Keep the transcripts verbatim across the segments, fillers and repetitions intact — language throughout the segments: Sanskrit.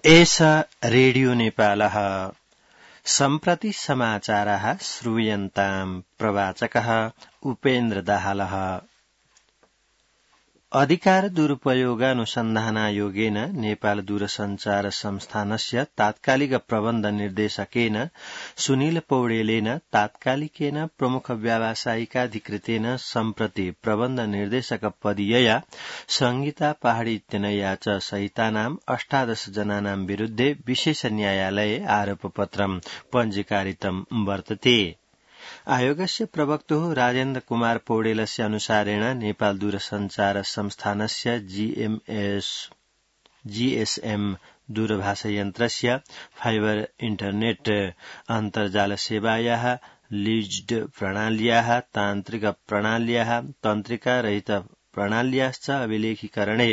एष रेडियो नेपालः सम्प्रति समाचारः श्रूयन्ताम् प्रवाचकः उपेन्द्र दाहालः। अधिकार दुरुपयोगानुसन्धानायोगेन नेपाल दूरसञ्चार संस्थानस्य तात्कालिक प्रबन्ध निर्देशकेन सुनील पौडेलेन तात्कालिकेन प्रमुख व्यावसायिकाधिकृतेन सम्प्रति प्रबन्ध निर्देशक पदीयया संहिता पहाड़ी इत्यनया च सहितानाम् अष्टादश जनानां विरुद्धे विशेष न्यायालये आरोपपत्रम् पञ्जीकारितं वर्तते। आयोगस्य प्रवक्तुः राजेन्द्र कुमार पौडेलस्य अनुसारेण नेपाल दूरसञ्चार संस्थानस्य जीएमएस जीएसएम दूरभाषायन्त्रस्य फाइबर इन्टरनेट अन्तर्जाल सेवायाः लीज्ड प्रणाल्याः तान्त्रिक प्रणाल्याः तन्त्रिका रहित प्रणाल्याश्च अभिलेखीकरणे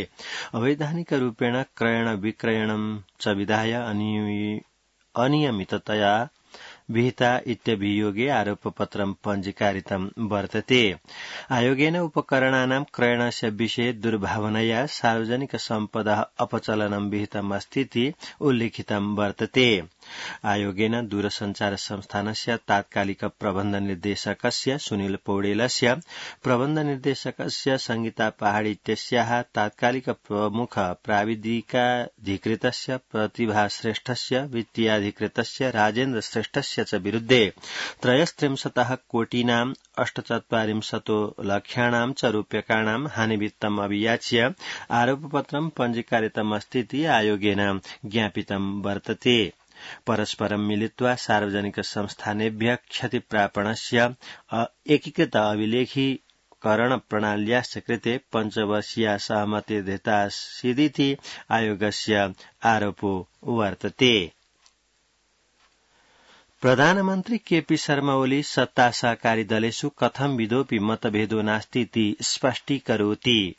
अवैधानिकरूपेण क्रयण विक्रयणं च विधाय अनियमिततया विहिता इत्यभियोगे आरोपपत्रं पञ्जीकारितं वर्तते। आयोगेन उपकरणानां क्रयणस्य विषये दुर्भावनया सार्वजनिक सम्पदा अपचलनं विहितमस्तीति उल्लिखितं वर्तते। आयोगेन दूरसञ्चार संस्थानस्य तात्कालिक प्रबन्ध निर्देशकस्य सुनील पौडेलस्य प्रबन्ध निर्देशकस्य संगीता पहाड़ी इत्यस्याः तात्कालिक प्रमुख प्राविधिकाधिकृतस्य प्रतिभा श्रेष्ठस्य वित्तीयाधिकृतस्य राजेन्द्र श्रेष्ठस्य च विरुद्धे त्रयस्त्रिंशतः कोटीनाम् अष्टचत्वारिंशतो लक्ष्याणां च रूप्यकाणां हानिवित्तम् अभियाच्य आरोपपत्रं पञ्जीकारितमस्तीति आयोगेन ज्ञापितं वर्तते। परस्परं मिलित्वा सार्वजनिक संस्थानेभ्यः क्षतिप्रापणस्य एकीकृत अभिलेखीकरण प्रणाल्याश्च कृते पञ्चवर्षीया सहमतिर्धृतासीदिति आयोगस्य आरोपो वर्तते। प्रधानमन्त्री केपी शर्मा ओली सत्ता सहकारी दलेषु कथंविधोऽपि मतभेदो नास्तीति स्पष्टीकरोति।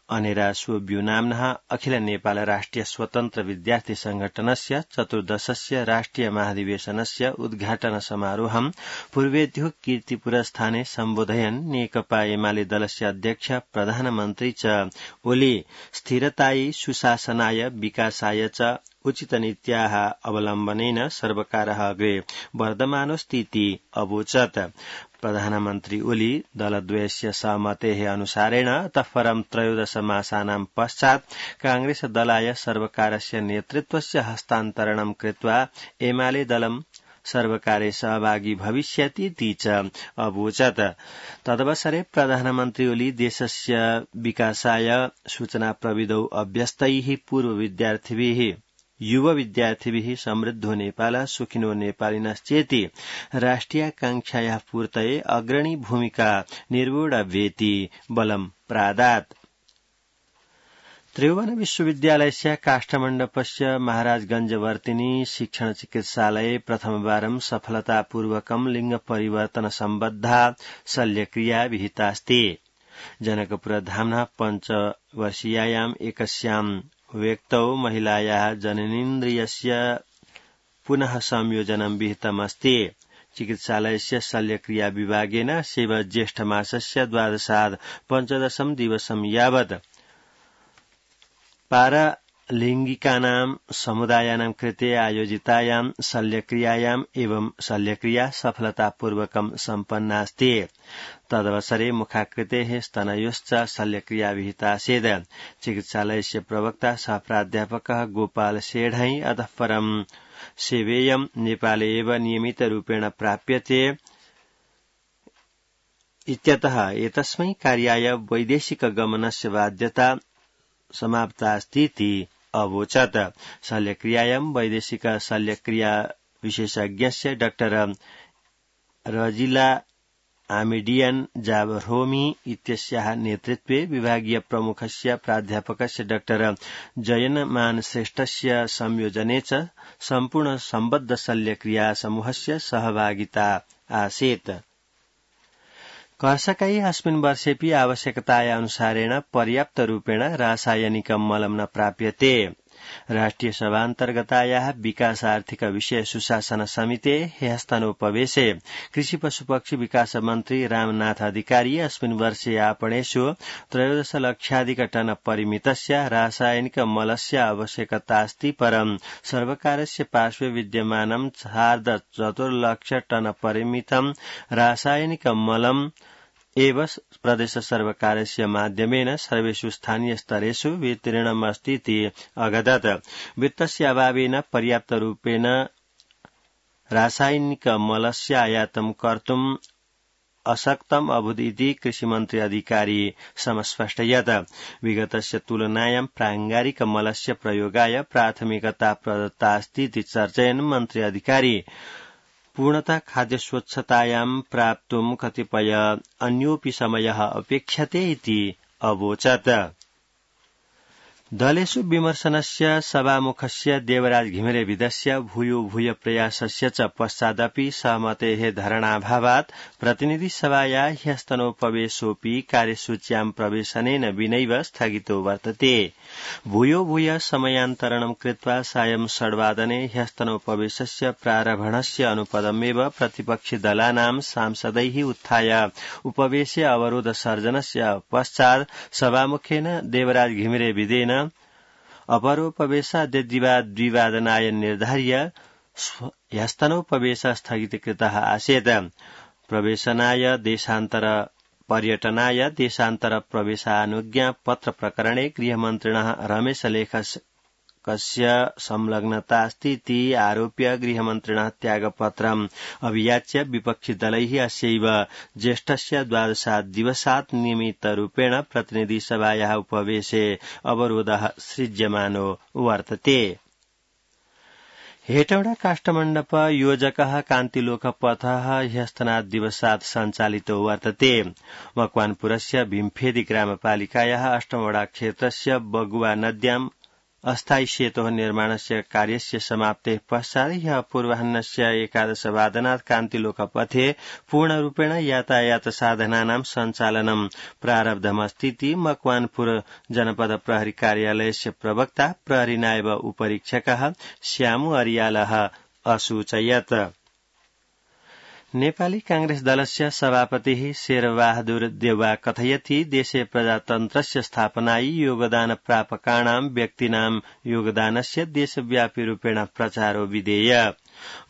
अनेरा सोब्यू नाम्नः अखिल नेपाल राष्ट्रिय स्वतन्त्र विद्यार्थी संगठनस्य चतुर्दशस्य राष्ट्रिय महाधिवेशनस्य उद्घाटन समारोहं पूर्वेद्युः कीर्तिपुरस्थाने सम्बोधयन् नेकपा एमाले दलस्य अध्यक्ष प्रधानमन्त्री च ओली स्थिरतायै सुशासनाय विकासाय च उचितनीत्याः अवलम्बनेन सर्वकारः अग्रे वर्धमानोऽस्तीति अवोचत्। प्रधानमन्त्री ओली दलद्वयस्य सहमतेः अनुसारेण ततः परं त्रयोदश मासानां पश्चात् कांग्रेस दलाय सर्वकारस्य नेतृत्वस्य हस्तान्तरणं कृत्वा एमाले दलं सर्वकारे सहभागी भविष्यतीति च अवोचत्। तदवसरे प्रधानमन्त्री ओली देशस्य विकासाय सूचना प्रविधौ अभ्यस्तैः पूर्व विद्यार्थिभिः युव विद्यार्थिभिः समृद्धो नेपालः सुखिनो नेपालिनश्चेति राष्ट्रियाकांक्षायाः पूर्तये अग्रणी भूमिका निर्वोढव्येति बलं प्रादात्। त्रिभुवन विश्वविद्यालयस्य काष्ठमण्डपस्य महाराजगंजवर्तिनी शिक्षण चिकित्सालये प्रथमवारं सफलतापूर्वकं लिंग परिवर्तन सम्बद्धा शल्यक्रिया विहितास्ति। जनकपुरधाम्नः पञ्चवर्षीयायाम् एकस्याम् व्यक्तौ महिलायाः जननेन्द्रियस्य पुनः संयोजनं विहितमस्ति। चिकित्सालयस्य शल्यक्रिया विभागेन शिव ज्येष्ठमासस्य द्वादशाद् पञ्चदशं दिवसं यावत् पारलिंगिकानां समुदायानां कृते आयोजितायां शल्यक्रियायाम् एवं शल्यक्रिया सफलतापूर्वकं सम्पन्नास्ति। तदवसरे मुखाकृतेः स्तनयोश्च शल्यक्रिया विहितासीत्। चिकित्सालयस्य प्रवक्ता सह प्राध्यापकः गोपाल सेढै अतः परं सेवेयं नेपाले एव नियमितरूपेण प्राप्यते इत्यतः एतस्मै कार्याय वैदेशिक गमनस्य बाध्यता समाप्तास्तीति अवोचत्। शल्यक्रियायां वैदेशिक शल्यक्रिया विशेषज्ञस्य डाक्टर रजिला आमिडियन जाबरोमी इत्यस्याः नेतृत्वे विभागीय प्रमुखस्य प्राध्यापकस्य डाक्टर जयनमान श्रेष्ठस्य संयोजने च सम्पूर्ण सम्बद्ध शल्यक्रिया समूहस्य सहभागिता आसीत्। कर्षकै अस्मिन् वर्षेऽपि आवश्यकताया अनुसारेण पर्याप्तरूपेण रासायनिकं मलं न प्राप्यते। राष्ट्रिय सभान्तर्गतायाः विकास आर्थिक विषय सुशासन समिते ह्यस्तनोपवेशे कृषि पशुपक्षी विकास मन्त्री रामनाथ अधिकारी अस्मिन् वर्षे आपणेषु त्रयोदश लक्षाधिक टन परिमितस्य रासायनिक मलस्य आवश्यकतास्ति परं सर्वकारस्य पार्श्वे विद्यमानं सार्ध चतुर्लक्ष टन परिमितं रासायनिक मलम् एव प्रदेश सर्वकारस्य माध्यमेन सर्वेषु स्थानीय स्तरेषु वितरणमस्ति इति अगदत्। वित्तस्य अभावेन पर्याप्तरूपेण रासायनिक मलस्य आयातं कर्तुम् अशक्तम् अभूत् इति कृषिमन्त्री अधिकारी समस्पष्टयत्। विगतस्य तुलनायां प्राङ्गारिक मलस्य प्रयोगाय प्राथमिकता प्रदत्ता अस्ति इति चर्चयन् मन्त्री अधिकारी पूर्णतः खाद्य स्वच्छतायां प्राप्तुं कतिपय अन्योऽपि समयः अपेक्ष्यते इति अवोचत्। दलेषु विमर्शनस्य सभामुखस्य देवराज घिमिरेविदस्य भूयो भूय प्रयासस्य च पश्चादपि सहमतेः धरणाभावात् प्रतिनिधिसभाया ह्यस्तनोपवेशोऽपि कार्यसूच्यां प्रवेशनेन विनैव स्थगितो वर्तते। भूयो भूय समयान्तरणं कृत्वा सायं षड्वादने ह्यस्तनोपवेशस्य प्रारम्भणस्य अनुपदमेव प्रतिपक्षिदलानां सांसदैः उत्थाय उपवेशे अवरोध सर्जनस्य पश्चात् सभामुखेन देवराज घिमिरेविदेन अपरोपवेशाद्य द्विवादनाय निर्धार्य ह्यस्तनोपवेश स्थगितकृतः आसीत्। प्रवेशनाय देशान्तर पर्यटनाय देशान्तर प्रवेशानुज्ञा पत्र प्रकरणे गृहमन्त्रिणः रमेश लेखकस्य संलग्नता अस्ति इति आरोप्य गृहमन्त्रिणः त्यागपत्रम् अभियाच्य विपक्षिदलैः अस्यैव ज्येष्ठस्य द्वादशात् दिवसात् नियमितरूपेण प्रतिनिधिसभायाः उपवेशे अवरोधः सृज्यमानो वर्तते। हेटौडा काष्ठमण्डप योजकः कान्तिलोकपथः ह्यस्तनात् दिवसात् सञ्चालितो वर्तते। मकवानपुरस्य भीमफेदी ग्रामपालिकायाः अष्टमवडा क्षेत्रस्य बगुवा नद्याम् अस्थायी सेतोः निर्माणस्य कार्यस्य समाप्तेः पश्चात् ह्यः पूर्वाह्नस्य एकादशवादनात् कान्तिलोकपथे पूर्णरूपेण यातायात साधनानां सञ्चालनं प्रारब्धमस्ति इति मकवानपुर जनपद प्रहरी कार्यालयस्य प्रवक्ता प्रहरी नायब उपरीक्षकः श्यामु अरियालः असूचयत्। नेपाली कांग्रेस दलस्य सभापतिः शेरबहादुर देउवा कथयति देशे प्रजातन्त्रस्य स्थापनायै योगदान प्रापकाणां व्यक्तीनां योगदानस्य देशव्यापी रूपेण प्रचारो विधेय।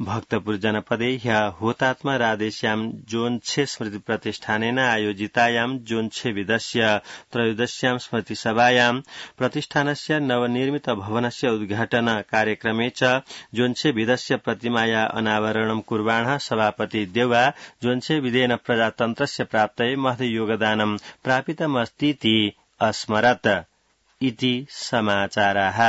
भक्तपुर जनपदे ह्यः हुतात्मा राधेश्याम जोन्छे स्मृति प्रतिष्ठानेन आयोजितायां जोन्छे विदस्य त्रयोदश्यां स्मृतिसभायां प्रतिष्ठानस्य नवनिर्मित भवनस्य उद्घाटन कार्यक्रमे च जोन्छे विदस्य प्रतिमाया अनावरणं कुर्वाणः सभापति देउवा जोन्छे विदेन प्रजातन्त्रस्य प्राप्तये महत् योगदानं प्रापितमस्तीति अस्मरत् इति समाचाराः।